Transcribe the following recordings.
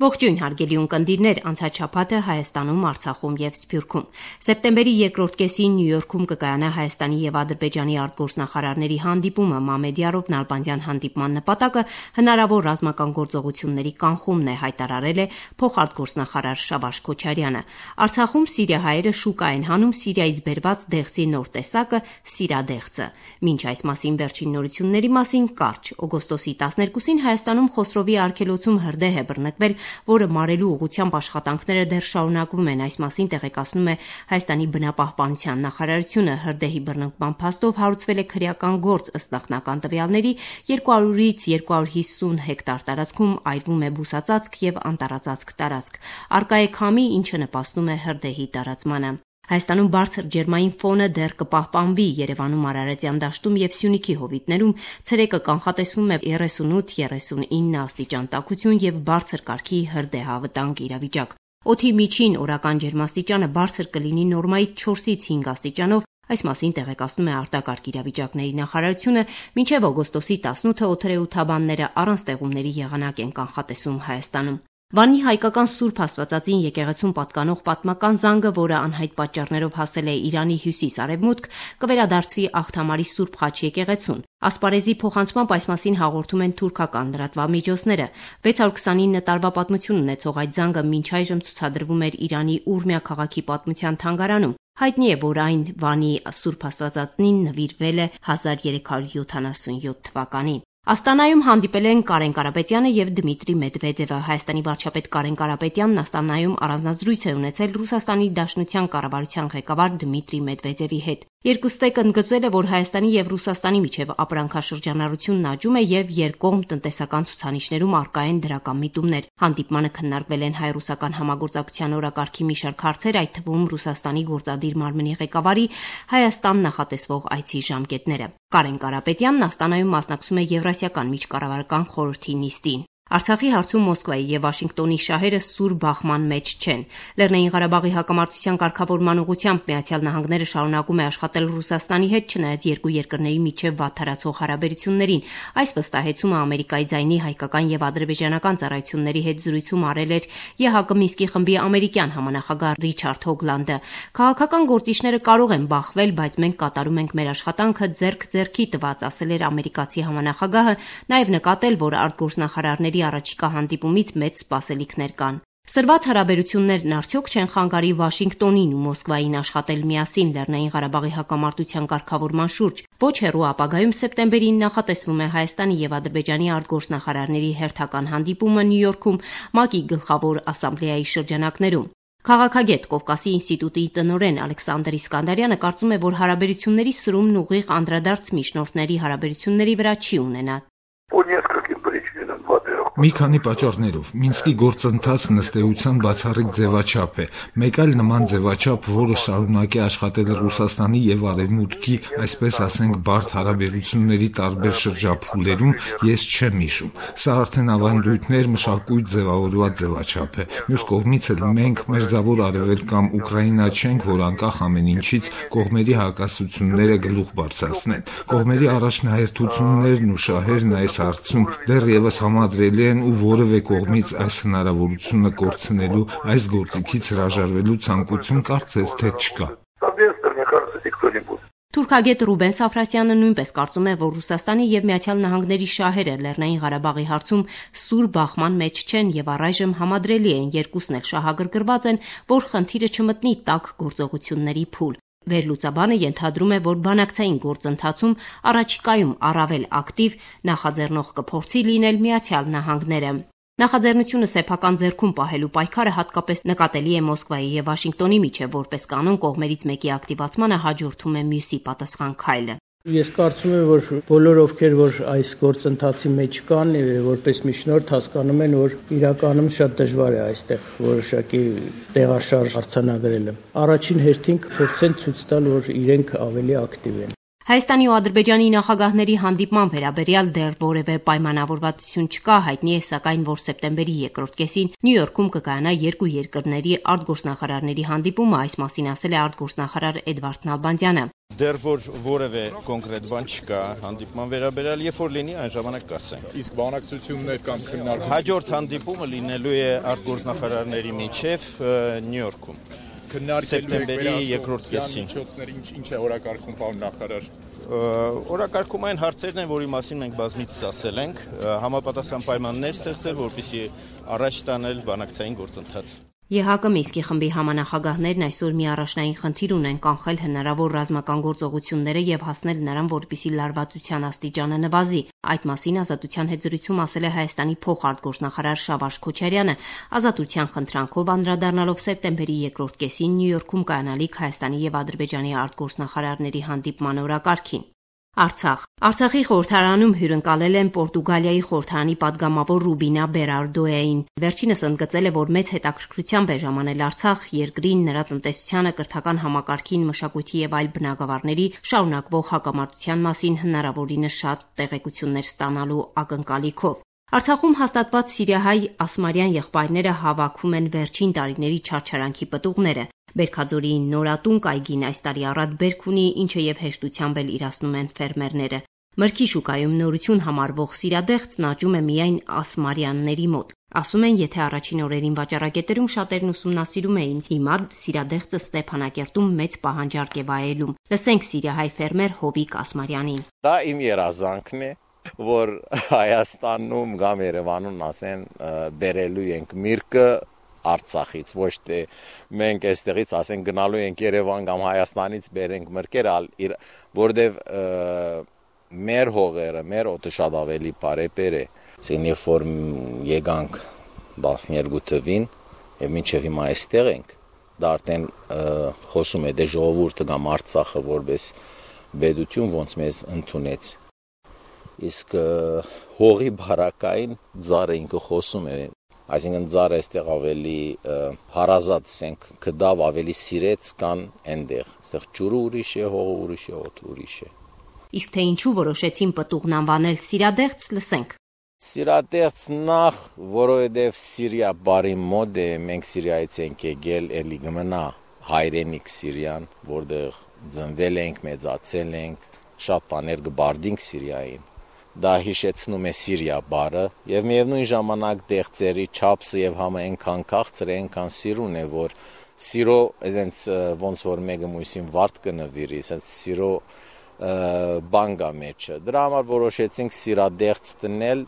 Ողջույն հարգելի ունկնդիրներ, անցած շաբաթը Հայաստանում, Արցախում եւ Սփյուռքում։ Սեպտեմբերի երկրորդ կեսին Նյու Յորքում կկայանա Հայաստանի եւ Ադրբեջանի արտգործնախարարների հանդիպումը։ Մամեդյարով Նալբանդյան հանդիպման նպատակը հնարավոր ռազմական գործողությունների կանխումն է, հայտարարել է փոխարտգործնախարար Շավարժ Քոչարյանը։ Արցախում սիրիահայերը շուկա են հանում Սիրիայից բերված դեղցի նոր տեսակը՝ սիրադեղցը։ Մինչ այս մասին վերջին նորությունների մասին կարճ։ Օգոստոսի 12-ին Հայաստանում Խոսրովի արգելոցում հրդեհ է բռնկվել, որը մարելու ուղղությամբ աշխատանքները դեռ շարունակվում են։ Այս մասին տեղեկացնում է Հայաստանի բնապահպանության նախարարությունը։ Հրդեհի բռնկման փաստով հարուցվել է քրեական գործ, ըստ նախնական տվյալների 200-ից 250 հեկտար տարածքում այրվում է բուսածածկ եւ անտառածածկ տարածք։ Առկա է քամի, ինչը նպաստում է հրդեհի տարածմանը։ Հայաստանում բարձր ջերմային ֆոնը դեռ կպահպանվի։ Երևանում Արարատյան դաշտում եւ Սյունիքի հովիտներում ցերեկը կանխատեսվում է 38-39 աստիճան տաքություն եւ բարձր կարգի հրդեհավտանգ իրավիճակ։ Օդի միջին օրական ջերմաստիճանը բարձր կլինի նորմայից 4-ից 5 աստիճանով։ Այս մասին տեղեկացնում է արտակարգ իրավիճակների նախարարությունը։ Մինչև օգոստոսի 18-ը օդերեութաբանները առանց տեղումների եղանակ են կանխատեսում Հայաստանում։ Վանի հայկական Սուրբ Աստվածածին եկեղեցում պատկանող պատմական զանգը, որը անհայտ պատճառներով հասել է Իրանի հյուսիս-արևմուտք, կվերադարձվի Աղթամարի Սուրբ Խաչ եկեղեցուն։ Ասպարեզի փոխանցմամբ այս մասին հաղորդում են թուրքական լրատվամիջոցները։ 629 տարվա պատմություն ունեցող այդ զանգը մինչ այժմ ցուցադրվում էր Իրանի Ուրմիա քաղաքի պատմության թանգարանում։ Հայտնի է, որ այն Վանի Սուրբ Աստվածածնին նվիրվել է 1377 թվականին։ Աստանայում հանդիպել են Կարեն Կարապետյանը եւ Դմիտրի Մեդվեդևը։ Հայաստանի վարչապետ Կարեն Կարապետյանն Աստանայում առանձնազրույց է ունեցել Ռուսաստանի Դաշնության կառավարության ղեկավար Դմիտրի Մեդվեդևի հետ։ Երկուստեք ընդգծել է, որ Հայաստանի եւ Ռուսաստանի միջև ապրանքաշրջանառությունն աճում է եւ երկկողմ տնտեսական ցուցանիշներում առկա են դրական միտումներ։ Հանդիպմանը քննարկվել են հայ-ռուսական համագործակցության օրակարգի մի շարք հարցեր, այդ թվում Ռուսաստանի գործադիր մարմնի ղեկավարի Հայաստան նախատեսվող այցի ժամկետները։ Կարեն Կարապետյանն Աստանայում մասնակցում է Եվրասիական միջկառավարական խորհրդի նիստին։ Արցախի հարցում Մոսկվայի եւ Վաշինգտոնի շահերը սուր բախման մեջ չեն։ Լեռնային Ղարաբաղի հակամարտության կարգավորման ուղղությամբ Միացյալ Նահանգները շարունակում է աշխատել Ռուսաստանի հետ, չնայած երկու երկրների միջև վատթարացող հարաբերություններին։ Այս վստահեցումը Ամերիկայի ձայնի հայկական եւ ադրբեջանական ծառայությունների հետ զրույցում արել էր ԵՀԿ Մինսկի խմբի ամերիկյան համանախագահ Ռիչարդ Հոգլանդը։ Քաղաքական գործիչները կարող են բախվել, բայց մենք կատարում ենք մեր աշխատանքը ձեռք-ձեռքի տված, ասել էր ամերիկացի համանախագահը, նաեւ նկատել, որ արտգործնախարարների առաջիկա հանդիպումից մեծ սպասելիքներ կան։ Սրված հարաբերություններն արդյոք չեն խանգարի Վաշինգտոնին ու Մոսկվային աշխատել միասին Լեռնային Ղարաբաղի հակամարտության կարգավորման շուրջ։ Ոչ հեռու ապագայում սեպտեմբերին նախատեսվում է Հայաստանի եւ Ադրբեջանի արտգործնախարարների հերթական հանդիպումը Նյու Յորքում ՄԱԿ-ի գլխավոր ասամբլեայի շրջանակներում։ Քաղաքագետ Կովկասի ինստիտուտի տնօրեն Ալեքսանդր Իսկանդարյանը կարծում է, որ հարաբերությունների սրումն ուղիղ անդրադարձ միջնորդների հարաբերությունների վրա չի ունենա։ Մի քանի պատճառներով Մինսկի գործընթացն ըստ էության բացառիկ ձևաչափ է։ Մեկ այլ նման ձևաչափ, որը շարունակի աշխատել Ռուսաստանի եւ Արևմուտքի, այսպես ասենք, բարդ հարաբերությունների տարբեր շրջափուլերում, ես չեմ հիշում։ Սա արդեն ավանդույթներ, մշակույթ ձևավորված ձևաչափ է։ Մյուս կողմից էլ մենք մերձավոր Արևելք կամ Ուկրաինա չենք, որ անկախ ամեն ինչից կողմերի հակասությունները գլուխ բարձրացնեն։ Կողմերի առաջնահերթություններն ու շահերն այս հարցում դեռևս համադրելի են ու որևէ կողմից այս հնարավորությունը կորցնելու, այս գործիքից հրաժարվելու ցանկություն կարծես թե չկա։ Թուրքագետ Ռուբեն Սաֆրասյանը նույնպես կարծում է, որ Ռուսաստանի եւ Միացյալ Նահանգների շահերը Լեռնային Ղարաբաղի հարցում սուր բախման մեջ չեն եւ առայժմ համադրելի են, երկուսն էլ շահագրգռված են, որ խնդիրը չմտնի տաք գործողությունների փուլ։ Վերլուծաբանը ենթադրում է, որ բանակցային գործընթացում առաջիկայում առավել ակտիվ նախաձեռնող կփորձի լինել Միացյալ Նահանգները։ Նախաձեռնությունը սեփական ձեռքում պահելու պայքարը հատկապես նկատելի է Մոսկվայի եւ Վաշինգտոնի միջև, որպես կանոն կողմերից մեկի ակտիվացմանը հաջորդում է մյուսի պատասխան քայլը։ Ես կարծում եմ, որ բոլոր ովքեր որ այս գործընթացի մեջ կան, որպես միջնորդ հասկանում են, որ իրականում շատ դժվար է այստեղ որոշակի տեղաշարժ արձանագրելը։ Առաջին հերթին կփորձեն ցույց տալ, որ իրենք ավելի ակտիվ են։ Հայաստանի ու Ադրբեջանի նախագահների հանդիպման վերաբերյալ դեռ որևէ պայմանավորվածություն չկա, հայտնի է սակայն, որ սեպտեմբերի երկրորդ կեսին Նյու Յորքում կկայանա երկու երկրների արտգործնախարարների հանդիպումը, այս մասին ասել է արտգործնախարար Էդվարդ Նալբանդյանը։ Դեռ որևէ կոնկրետ բան չկա հանդիպման վերաբերյալ, երբ որ լինի այն ժամանակ կասենք։ Իսկ բանակցություններ կամ քննարկումներ հաջորդ հանդիպումը լինելու է արտգործնախարարների միջև Նյու Յորքում։ Սեպտեմբերի երկրորդ կեսին։ Ինչ է օրակարգում, պարոն նախարար։ Օրակարգում այն հարցերն են, որի մասին մենք բազմիցս ասել ենք, համապատասխան պայմաններ ստեղծել, որպեսզի առաջ տանել բանակցային գործընթաց։ ԵՀԿ Մինսկի խմբի համանախագահներն այսօր մի առաջնային խնդիր ունեն կանխել հնարավոր ռազմական գործողությունները եւ հասնել նրան, որպիսի լարվածության աստիճանը նվազի։ Այդ մասին Ազատության հետ զրույցում ասել է Հայաստանի փոխարտգործնախարար Շավարժ Քոչարյանը, Ազատության խնդրանքով անդրադառնալով սեպտեմբերի երկրորդ կեսին Նյու Յորքում կայանալիք Հայաստանի եւ Ադրբեջանի արտգործնախարարների հանդիպման օրակարգին։ Արցախի խորհրդարանում հյուրընկալել են Պորտուգալիայի խորհրդարանի падգամավոր Ռուբինա Բերարդոյին։ Վերջինս ընդգծել է, որ մեծ հետաքրքրությամբ է ժամանել Արցախ, երկրին, նրա տնտեսությանը, կրթական համակարգին, մշակույթի եւ այլ բնագավառների շարունակվող հակամարտության մասին հնարավորինս շատ տեղեկություններ ստանալու ակնկալիքով։ Արցախում հաստատված սիրիահայ ասմարյան եղբայրները հավաքում են վերջին տարիների չարչարանքի պտուղները։ Բերքաձորի նորատուն կայգին այս տարի առատ բերք ունի, ինչը եւ հեշտությամբ էլ իրացնում են ֆերմերները։ Մրգի շուկայում նորություն համարվող սիրադեղծն աճում է միայն ասմարյանների մոտ։ Ասում են, եթե առաջին օրերին վաճառակետերում շատերն ուսումնասիրում էին, հիմա սիրադեղծը Ստեփանակերտում մեծ պահանջարկ է վայելում։ Լսենք սիրիահայ ֆերմեր Հովիկ Ասմարյանին։ Դա իմ երազանքն է, որ Հայաստանում կամ Երևանում ասեն բերելու ենք միրգը Արցախից, ոչ թե մենք այստեղից ասենք գնալու ենք Երևան կամ Հայաստանից բերենք մրգերը, որտեվ մեր հողերը, մեր օդը շատ ավելի բարեպեր է։ Ասեն երբ որ եկանք 12 թվին եւ մինչեւ հիմա այստեղ ենք, դա արդեն խոսում է դե ժողովուրդը կամ Արցախը որպես պետություն ոնց մեզ ընդունեց։ Իսկ հողի բարակային ձարը ինքը խոսում է, այսինքն ձարը այստեղ ավելի հարազատ ասենք կդավ ավելի սիրեց կան այնտեղ, այստեղ ջուրը ուրիշ է, հողը ուրիշ է, օդը ուրիշ է։ Իսկ թե ինչու որոշեցին պտուղն անվանել սիրադեղծ, լսենք։ Սիրադեղծ նախ, որովհետև Սիրիա բարի մոտ է, մենք Սիրիայից ենք եկել, էլի գմնա հայրենիք Սիրիան, որտեղ ծնվել ենք, մեծացել ենք, շատ բաներ կբարդինք Սիրիային։ Դա հիշեցնում է Սիրիա բարը եւ միևնույն ժամանակ դեղձերի չափսը եւ համը այնքան քաղցր է, այնքան սիրուն է, որ սիրո այդենց ոնց որ մեկը մույսին վարդ կնվիրի, ասես սիրո բան կա մեջը։ Դրա համար որոշեցինք սիրադեղծ դնել,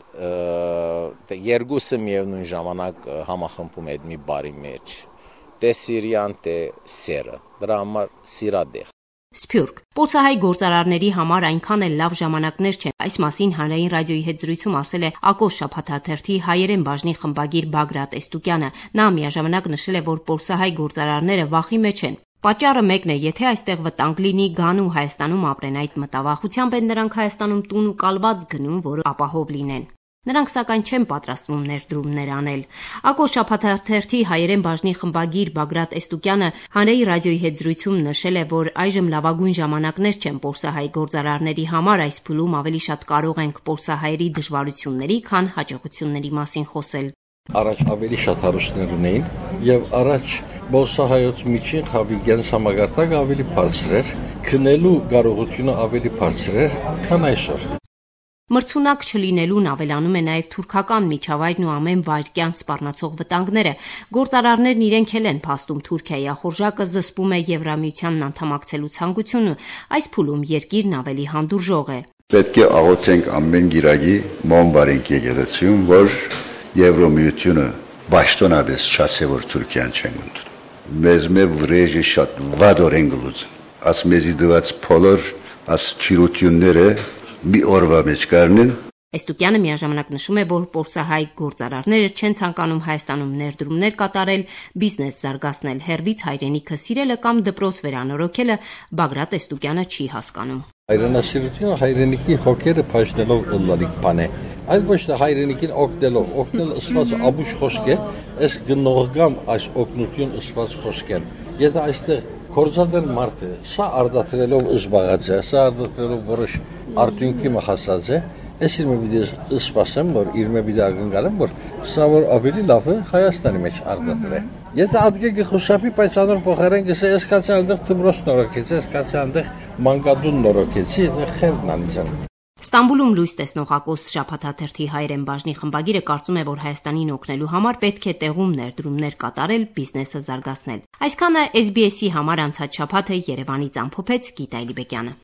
երկուսը միևնույն ժամանակ համախմբում է այդ մի բարի մեջ։ Թե Սիրիան, թե սերը։ Դրա համար սիրադեղծ։ Սփյուռք։ Պոլսահայ գործարարների համար այնքան էլ լավ ժամանակներ չեն։ Այս մասին հանրային ռադիոյի հետ զրույցում ասել է Ակոս շաբաթաթերթի հայերեն բաժնի խմբագիր Բագրատ Էստուկյանը։ Նա միաժամանակ նշել է, որ պոլսահայ գործարարները վախի մեջ են։ Պատճառը մեկն է, եթե այստեղ վտանգ լինի, գան ու Հայաստանում ապրեն, այդ մտավախությամբ են նրանք Հայաստանում տուն ու կալված գնում, որ ապահով լինեն։ Նրանք սակայն չեն պատրաստվում ներդրումներ անել։ Ակոս շաբաթաթերթի հայերեն բաժնի խմբագիր Բագրատ Էստուկյանը հանրային ռադիոյի հետ զրույցում նշել է, որ այժմ լավագույն ժամանակներ չեն պոլսահայ գործարարների համար, այս փուլում ավելի շատ կարող ենք պոլսահայերի դժվարությունների, քան հաջողությունների մասին խոսել։ Առաջ ավելի շատ հարուստներ ունեին եւ առաջ պոլսահայոց միջին խավի գենսամագարտակը ավելի բարձր էր, քնելու կարողությունը ավելի բարձր էր, քան այսօր։ Մրցունակ չլինելուն ավելանում է նաև թուրքական միջավայրն ու ամեն վայրկյան սպառնացող վտանգները։ Գործարարներն իրենք էլ են փաստում Թուրքիայի ախորժակը զսպում է Եվրամիությանն անդամակցելու ցանկությունը, այս փուլում երկիրն ավելի հանդուրժող է։ Պետք է աղոթենք ամեն գիրագի մոմբարենք եկեղեցիում, որ Եվրամիությունը պաշտոնապես չասե, որ Թուրքիան չեն ընդունում։ Մեզ վրեժը շատ վադոր են գլուց, աս մեզի դված փոլոր, աս թիրությունները մի օրվա մեջ կառնեն։ Էստուկյանը միաժամանակ նշում է, որ պոլսահայ գործարարները չեն ցանկանում Հայաստանում ներդրումներ կատարել, բիզնես զարգացնել, հերվից հայրենիքը սիրելը կամ դպրոց վերանորոգելը Բագրատ Էստուկյանը չի հասկանում։ Հայրենասիրությունը հայրենիքի հոգերը փաշնելով ըլլալիք բան է, այլ ոչ թե հայրենիքին օգնելով, օգնել ըսված աբուշ խոսք է, այս գնողգամ այս օգնություն ըսված խոսք է։ Եթե այստեղ կորզադեր մարդը սա արդատրելով զբաղած է, սա արդատրելով որոշ արդյունքի մխասած է, Ես իր միտի սպասեմ, որ իր միտի ակնկալեմ, որ սա որ ավելի լավ է Հայաստանի մեջ արտադրե։ Եթե ադգեգը խուսափի, բայց անոր փոխարեն գսե ես կացի այնտեղ թմրոց նորոգեցի, ես կացի այնտեղ մանկադուն նորոգեցի, խերն անիցան։ Ստամբուլում լույս տեսնող Ակոս շաբաթաթերթի հայերեն բաժնի խմբագիրը կարծում է, որ Հայաստանին օգնելու համար պետք է տեղում ներդրումներ կատարել, բիզնեսը զարգացնել։ Այսքանը SBS-ի համար անցած շաբաթը Երևանից ամփոփեց Գիտա Իլիբեկյանը։